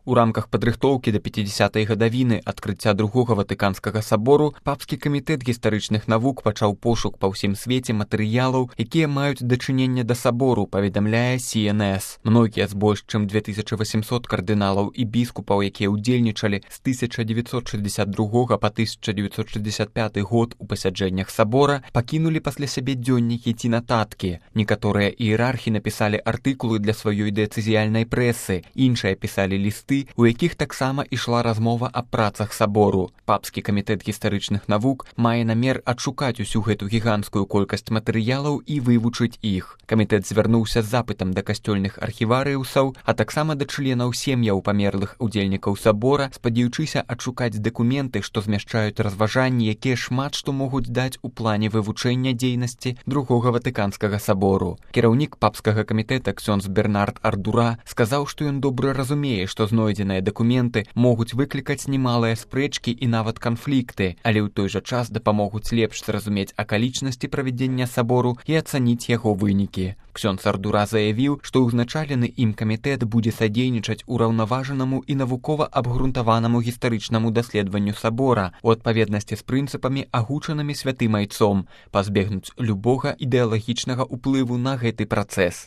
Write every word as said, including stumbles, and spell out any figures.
У рамках падрыхтоўкі да пяцідзясятай гадавіны адкрыцця другога ватыканскага сабору папскі камітэт гістарычных навук пачаў пошук па ўсім свеце матэрыялаў, якія маюць дачыненне да сабору, паведамляе Си Эн Эс. Многія з больш чым две тысячы васемсот кардыналаў і біскупаў, якія ўдзельнічалі з тысяча дзевяцьсот шэсцьдзесят другога па тысяча дзевяцьсот шэсцьдесят пяты год у пасяджэннях сабора, пакінулі пасля сябе дзённікі ці нататкі. Некаторыя іерархі напісалі артыкулы для сваёй дыяцэзіяльнай прэсы, іншыя пісалі лісты, у якіх таксама ішла размова аб працах сабору. Папскі камітэт гістарычных навук мае намер адшукаць усю гэту гіганцкую колькасць матэрыялаў і вывучыць іх. Камітэт звярнуўся з запытам да касцёльных архіварыусаў, а таксама да членаў сем'яў памерлых удзельнікаў сабора, спадзяючыся адшукаць дакументы, што змяшчаюць разважанні, якія шмат што могуць даць у плане вывучэння дзейнасці другога ватыканскага сабору. Кіраўнік папскага камітэта ксёндз Бернард Ардура сказаў, што ён добра разумее, што знойдзеныя дакументы могуць выклікаць немалыя спрэчкі і нават канфлікты, але ў той жа час дапамогуць лепш зразумець акалічнасці правядзення сабору і ацаніць яго вынікі. Ксёндз Ардура заявіў, што ўзначалены ім камітэт будзе садзейнічаць ураўнаважанаму і навукова абгрунтаванаму гістарычнаму даследаванню сабора у адпаведнасці з прынцыпамі, агучанымі святым айцом, пазбегнуць любога ідэалагічнага ўплыву на гэты працэс.